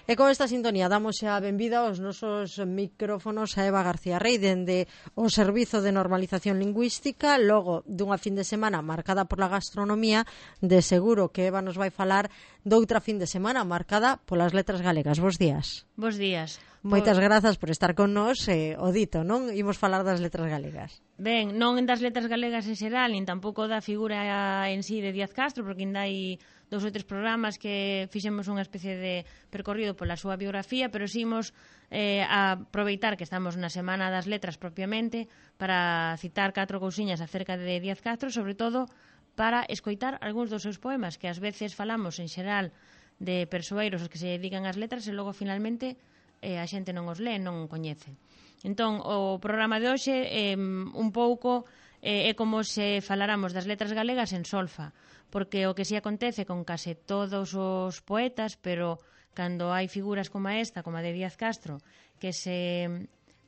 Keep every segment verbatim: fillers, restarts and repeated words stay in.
E con esta sintonía damos a benvida aos nosos micrófonos a Eva García Rey dende o Servizo de Normalización Lingüística. Logo dunha fin de semana marcada por la gastronomía, de seguro que Eva nos vai falar doutra fin de semana marcada polas letras galegas. Bos días. Bos días. Moitas por... grazas por estar con nós. Eh, o dito, non? Imos falar das letras galegas. Ben, non das letras galegas en xeral, nin tampouco da figura en sí de Díaz Castro, porque ainda hai dous ou tres programas que fixemos unha especie de percorrido pola súa biografía, pero sí imos eh, a aproveitar que estamos na Semana das Letras propiamente para citar catro cousiñas acerca de Díaz Castro, sobre todo para escoitar algúns dos seus poemas, que ás veces falamos en xeral de persoeiros os que se dedican ás letras e logo finalmente eh, a xente non os lee, non coñece. Entón, o programa de hoxe eh, un pouco eh, é como se faláramos das letras galegas en solfa, porque o que si acontece con case todos os poetas, pero cando hai figuras como esta, como a de Díaz Castro, que se,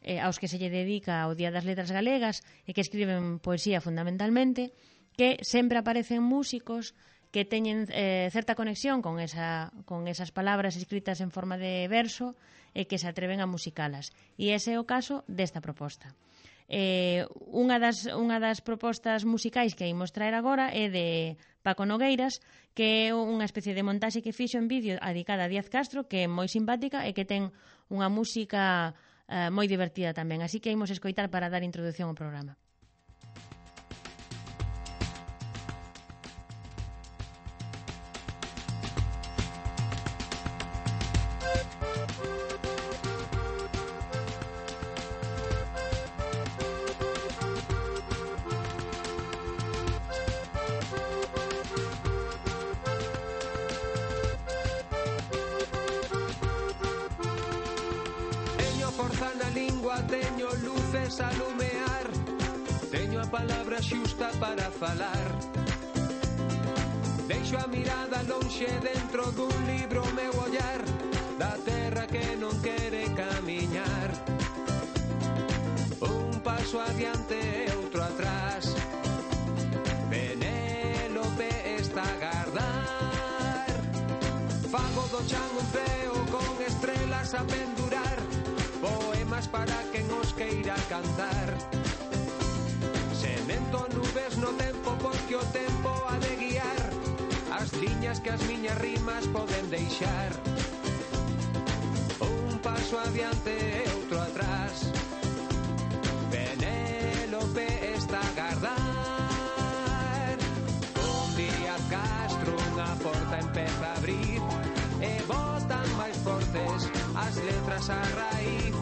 eh, aos que se lle dedica o Día das Letras Galegas e que escriben poesía fundamentalmente, que sempre aparecen músicos que teñen eh, certa conexión con, esa, con esas palabras escritas en forma de verso e que se atreven a musicalas. E ese é o caso desta proposta. Eh, unha, das, unha das propostas musicais que imos traer agora é de Paco Nogueiras, que é unha especie de montaxe que fixo en vídeo dedicada a Díaz Castro, que é moi simpática e que ten unha música eh, moi divertida tamén. Así que imos escoitar para dar introducción ao programa. Teño luces a lumear, teño a palabra xusta para falar. Deixo a mirada lonxe dentro dun libro meu ollar da terra que non quere camiñar. Un paso adiante e outro atrás, Penélope está a agardar. Fago do chan un peo con estrelas a pendurar, poemas para quen os queira cantar. Semento nubes no tempo porque o tempo ha de guiar as liñas que as miñas rimas poden deixar. Un paso adiante e outro atrás, Penélope está a agardar. Un día Castro unha porta empeza a abrir e botan máis fortes as letras a raíz.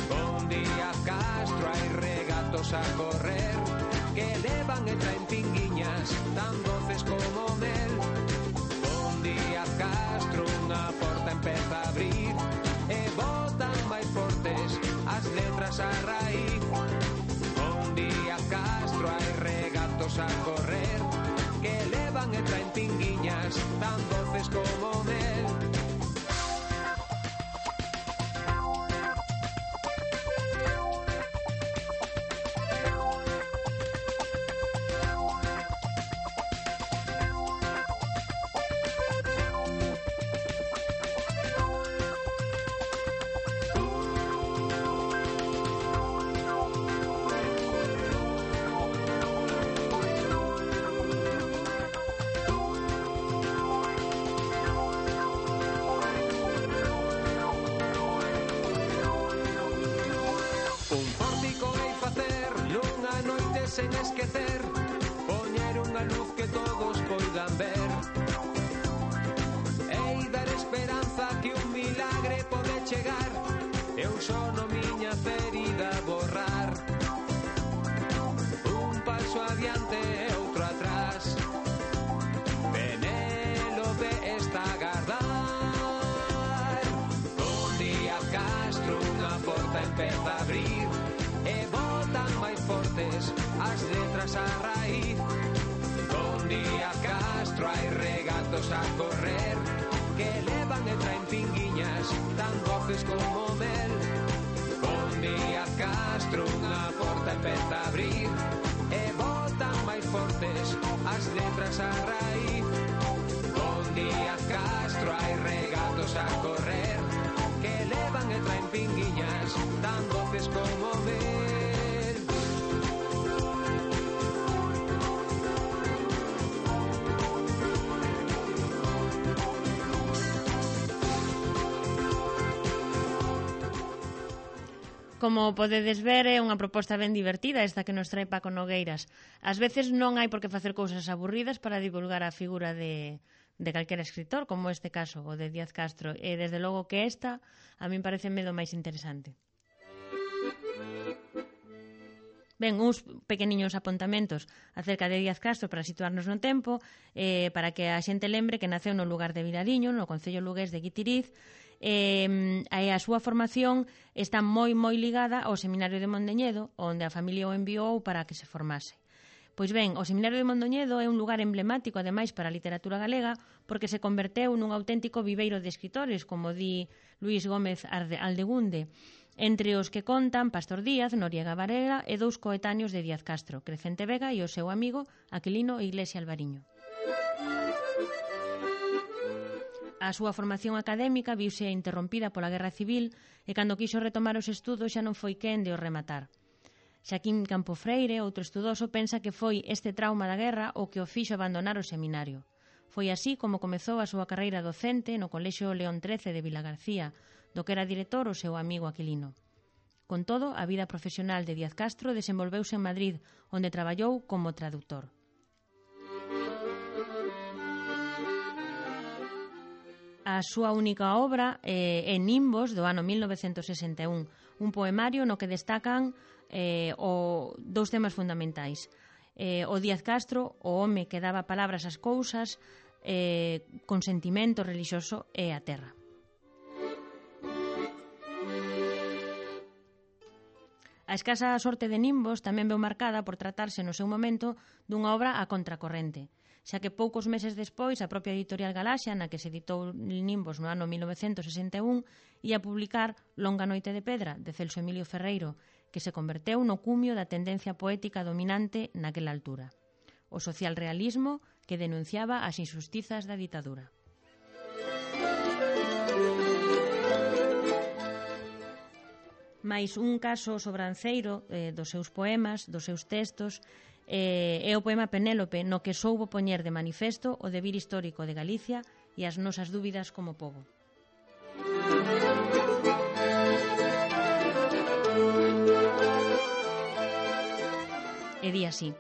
Con Díaz Castro hai regatos a correr que levan e traen pinguiñas tan doces como mel. Con Díaz Castro unha porta empeza a abrir e botan máis fortes as letras a raíz. Con Díaz Castro hai regatos a correr que levan e traen pinguiñas tan doces como mel. Sen esquecer, poñer unha luz que todos poidan ver e dar esperanza que un milagre pode chegar e un sono miña ferida borrar. Un paso adiante e outro atrás, Penélope está a agardar. Con Díaz Castro unha porta empeza a abrir e botan máis fortes as letras a raíz. Con Díaz Castro hai regatos a correr que levan e traen pinguiñas tan doces como mel. Con Díaz Castro unha porta empeza a abrir e botan máis fortes as letras a raíz. Con Díaz Castro hai regatos a correr pinguiñas tan doces como mel. Como podedes ver, é unha proposta ben divertida esta que nos trae Paco Nogueiras. Ás veces non hai por que facer cousas aburridas para divulgar a figura de, de calquera escritor, como este caso, o de Díaz Castro. E desde logo que esta, a min parece medo máis interesante. Ben, uns pequeniños apontamentos acerca de Díaz Castro para situarnos no tempo, eh, para que a xente lembre que naceu no lugar de Vilariño, no concello lugués de Guitiriz, e eh, a súa formación está moi moi ligada ao Seminario de Mondoñedo, onde a familia o enviou para que se formase. Pois ben, o Seminario de Mondoñedo é un lugar emblemático, ademais, para a literatura galega, porque se converteu nun auténtico viveiro de escritores, como di Luís Gómez Aldegunde, entre os que contan Pastor Díaz, Noriega Varela e dous coetáneos de Díaz Castro, Crecente Vega e o seu amigo Aquilino Iglesia Alvariño. A súa formación académica viuse interrompida pola Guerra Civil e cando quiso retomar os estudos xa non foi quen de os rematar. Xaquín Campofreire, outro estudoso, pensa que foi este trauma da guerra o que o fixo abandonar o seminario. Foi así como comezou a súa carreira docente no Colexio León trece de Vilagarcía, do que era director o seu amigo Aquilino. Con todo, a vida profesional de Díaz Castro desenvolveuse en Madrid, onde traballou como traductor. A súa única obra eh, é Nimbos, do ano mil novecentos sesenta e un, un poemario no que destacan eh, o, dous temas fundamentais. Eh, o Díaz Castro, o home que daba palabras ás cousas, eh, con sentimento religioso e a terra. A escasa sorte de Nimbos tamén veu marcada por tratarse no seu momento dunha obra a contracorrente, xa que poucos meses despois a propia editorial Galaxia, na que se editou Nimbos no ano mil novecentos sesenta e un, ia publicar Longa noite de pedra, de Celso Emilio Ferreiro, que se converteu no cumio da tendencia poética dominante naquela altura. O socialrealismo que denunciaba as injustizas da ditadura. Mais un caso sobranceiro eh, dos seus poemas, dos seus textos, eh, é o poema Penélope, no que soubo poñer de manifesto o devir histórico de Galicia e as nosas dúbidas como pobo. E di así: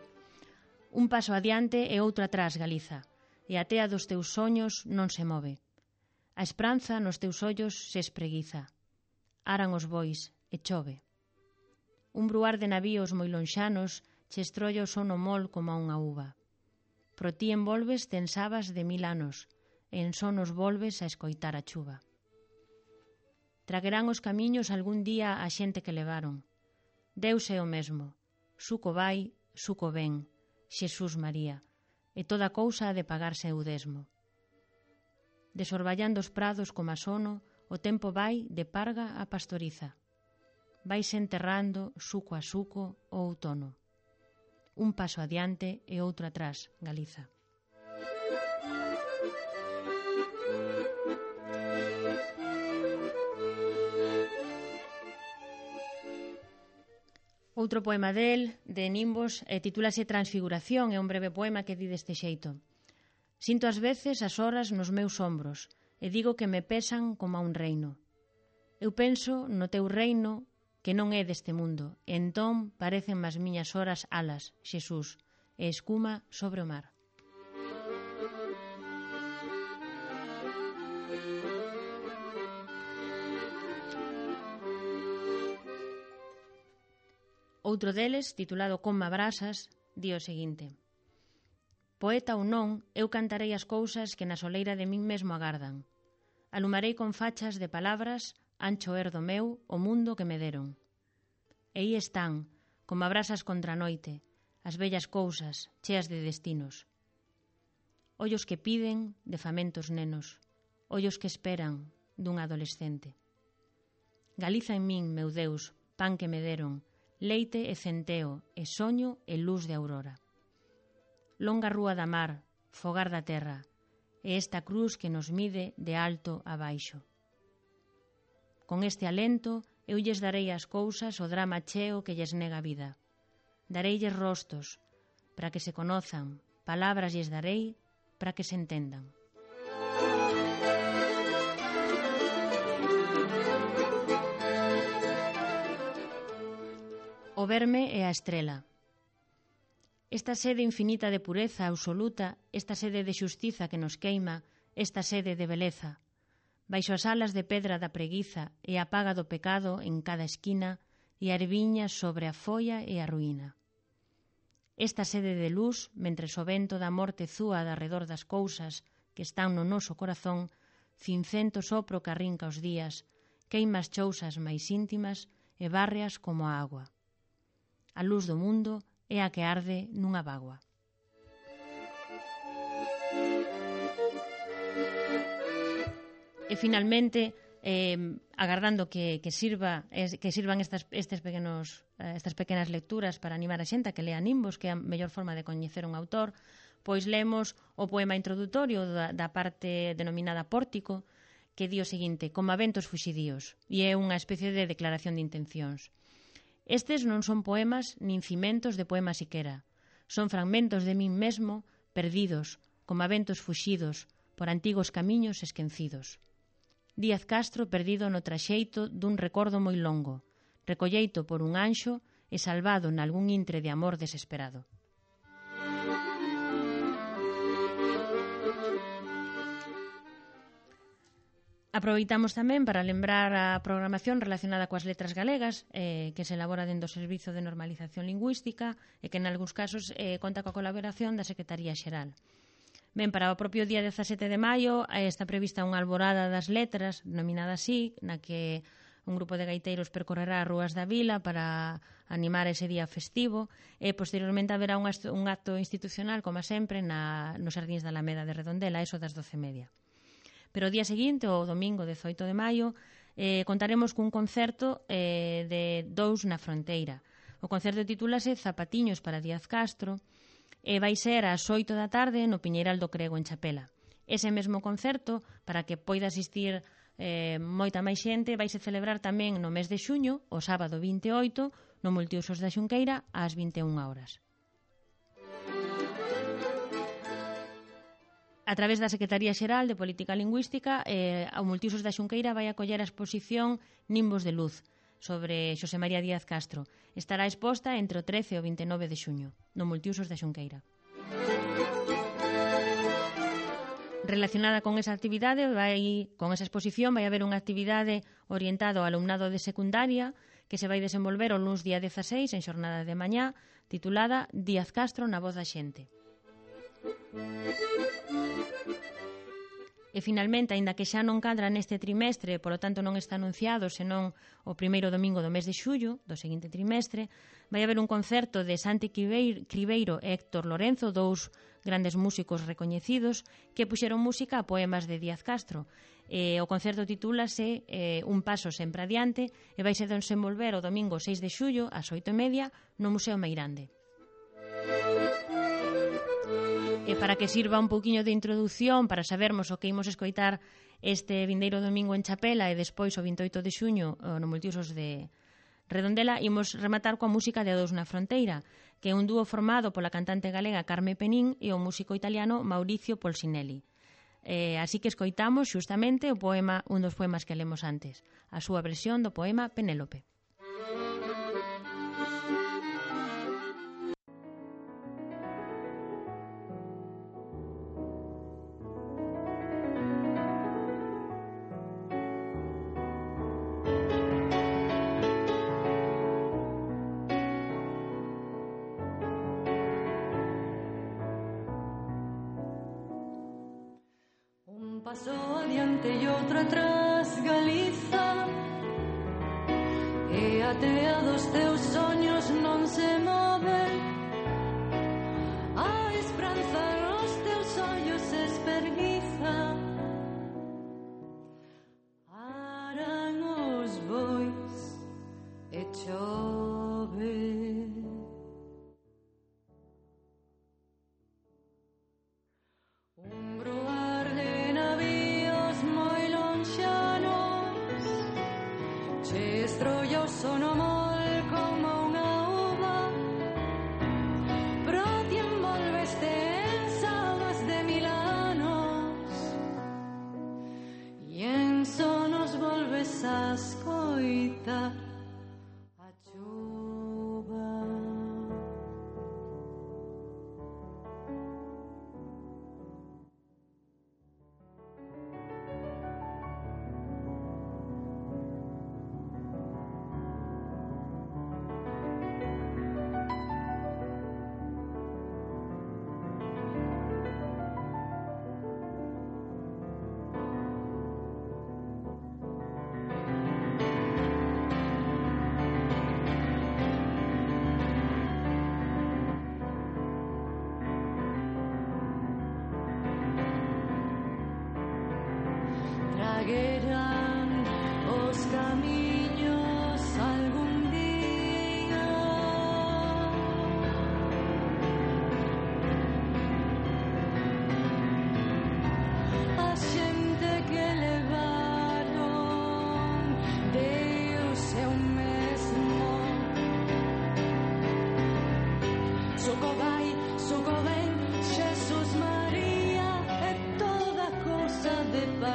un paso adiante e outro atrás, Galiza, e a tea dos teus soños non se move. A esperanza nos teus ollos se espreguiza. Aran os bois e chove. Un bruar de navíos moi lonxanos che estrolla o sono mol como a unha uva. Pro ti envolves tensabas de mil anos e en sonos volves a escoitar a chuva. Traguerán os camiños algún día a xente que levaron. Deus é o mesmo. Suco vai, suco ven, Xesús María, e toda cousa ha de pagarse eu desmo. Desorballando os prados como a sono, o tempo vai de parga a pastoriza. Vaise enterrando, suco a suco, o outono. Un paso adiante e outro atrás, Galiza. Outro poema del, de Nimbos, eh, titúlase Transfiguración, é un breve poema que di deste xeito. Sinto ás veces as horas nos meus ombros e digo que me pesan como a un reino. Eu penso no teu reino que non é deste mundo, e entón parecen as miñas horas alas, Xesús, e escuma sobre o mar. Outro deles, titulado Conma Brasas, di o seguinte: poeta ou non, eu cantarei as cousas que na soleira de min mesmo agardan. Alumarei con fachas de palabras, ancho erdo meu, o mundo que me deron. E aí están, como brasas contra a noite, as bellas cousas, cheas de destinos. Ollos que piden, de famentos nenos, ollos que esperan, dun adolescente. Galiza en min, meu Deus, pan que me deron, leite e centeo, e soño e luz de aurora. Longa rúa da mar, fogar da terra, e esta cruz que nos mide de alto a baixo. Con este alento, eu lles darei as cousas o drama cheo que lles nega a vida. Dareilles rostos, para que se conozan, palabras lles darei, para que se entendan. O verme é a estrela. Esta sede infinita de pureza absoluta, esta sede de xustiza que nos queima, esta sede de beleza. Baixo as alas de pedra da preguiza e a paga do pecado en cada esquina e a erviña sobre a folla e a ruína. Esta sede de luz, mentres o vento da morte zúa de arredor das cousas que están no noso corazón, cincento sopro que arrinca os días, queima as chousas máis íntimas e bárreas como a agua. A luz do mundo é a que arde nunha bágoa. E finalmente, eh, agardando que, que, sirva, que sirvan estas, estes pequenos, estas pequenas lecturas para animar a xente a que lea Nimbos, que é a mellor forma de coñecer un autor, pois lemos o poema introdutorio da, da parte denominada Pórtico, que di o seguinte: como a ventos fuxidíos, e é unha especie de declaración de intencións. Estes non son poemas nin cimentos de poema siquera, son fragmentos de min mesmo perdidos, como a ventos fuxidos, por antigos camiños esquecidos. Díaz Castro perdido no traxeito dun recordo moi longo, recolleito por un anxo e salvado nalgún intre de amor desesperado. Aproveitamos tamén para lembrar a programación relacionada coas letras galegas eh, que se elabora dentro do Servizo de Normalización Lingüística e que en algúns casos eh, conta coa colaboración da Secretaría Xeral. Ben, para o propio día dezasete de maio está prevista unha alborada das letras, denominada así, na que un grupo de gaiteiros percorrerá as rúas da vila para animar ese día festivo e posteriormente haberá un acto institucional, como sempre, na, nos Xardíns da Alameda de Redondela, eso das doce e media. Pero o día seguinte, o domingo dezoito de maio, eh, contaremos cun concerto eh, de Dous na Fronteira. O concerto titúlase Zapatiños para Díaz Castro, e vai ser ás oito da tarde no Piñeiral do Crego en Chapela. Ese mesmo concerto, para que poida asistir eh, moita máis xente, vai se celebrar tamén no mes de xuño, o sábado vinte e oito, no Multiusos da Xunqueira, ás vinte e unha horas. A través da Secretaría Xeral de Política Lingüística, eh, o Multiusos da Xunqueira vai acoller a exposición Nimbos de Luz, sobre Xosé María Díaz Castro. Estará exposta entre o trece e o vinte e nove de xuño, no Multiusos da Xunqueira. Relacionada con esa actividade, vai, con esa exposición, vai haber unha actividade orientada ao alumnado de secundaria que se vai desenvolver o luns día dezaseis en xornada de mañá, titulada Díaz Castro na voz da xente. E finalmente, aínda que xa non cadra neste trimestre, polo tanto non está anunciado senón o primeiro domingo do mes de xullo do seguinte trimestre, vai haber un concerto de Santi Cribeiro e Héctor Lorenzo, dous grandes músicos recoñecidos que puxeron música a poemas de Díaz Castro. E o concerto titúlase eh, Un paso sempre adiante e vai se desenvolver o domingo seis de xullo ás oito e media no Museo Meirande. E para que sirva un pouquiño de introdución para sabermos o que imos escoitar este vindeiro domingo en Chapela e despois o vinte e oito de xuño no Multiusos de Redondela, imos rematar coa música de A Dous na Fronteira, que é un dúo formado pola cantante galega Carme Penín e o músico italiano Mauricio Polsinelli. Eh, así que escoitamos xustamente o poema, un dos poemas que lemos antes, a súa versión do poema Penélope. Paso adiante e outro atrás, Galiza, e a tea dos teus soños non se move, a esperanza nos teus ollos esperguiza, aran os bois e chove. Un bruar de navíos moi lonxanos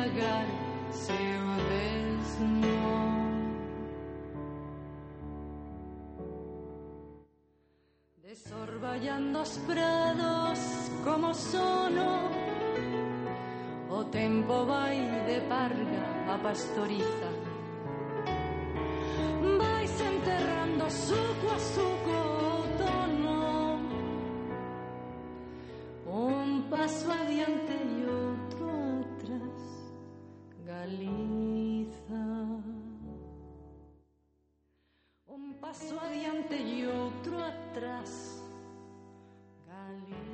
embriagar seu desno. Desorballando os prados como sono, o tempo vai de parga a pastoriza. Vai se enterrando suco a suco o outono, un paso adiante e outro atrás, Galiza. Un paso adiante e outro atrás, Galiza.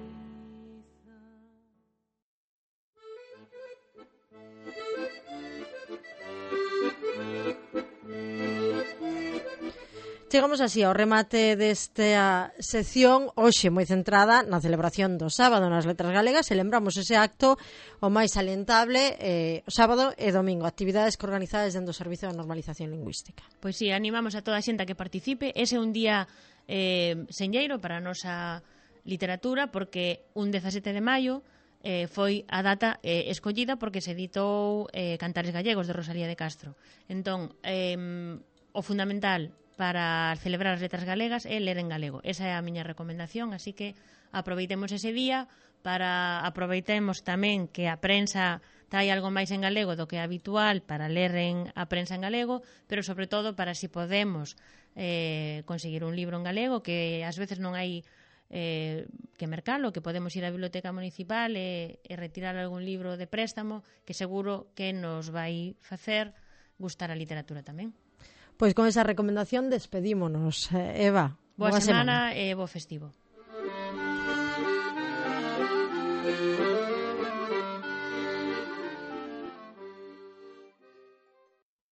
Chegamos así ao remate desta sección, hoxe moi centrada na celebración do sábado nas Letras Galegas, e lembramos ese acto o máis salientable eh, o sábado e domingo, actividades que organizadas dentro do Servizo de Normalización Lingüística. Pois sí, animamos a toda a xente a que participe. Ese é un día eh, senlleiro para a nosa literatura, porque un dezasete de maio eh, foi a data eh, escollida porque se editou eh, Cantares Gallegos de Rosalía de Castro. Entón, eh, o fundamental para celebrar as letras galegas é ler en galego. Esa é a miña recomendación, así que aproveitemos ese día para aproveitemos tamén que a prensa trai algo máis en galego do que é habitual para ler en a prensa en galego, pero sobre todo para si podemos eh, conseguir un libro en galego, que ás veces non hai eh, que mercalo, que podemos ir á biblioteca municipal e, e retirar algún libro de préstamo, que seguro que nos vai facer gustar a literatura tamén. Pois con esa recomendación despedímonos, Eva. Boa, Boa semana, semana e bo festivo.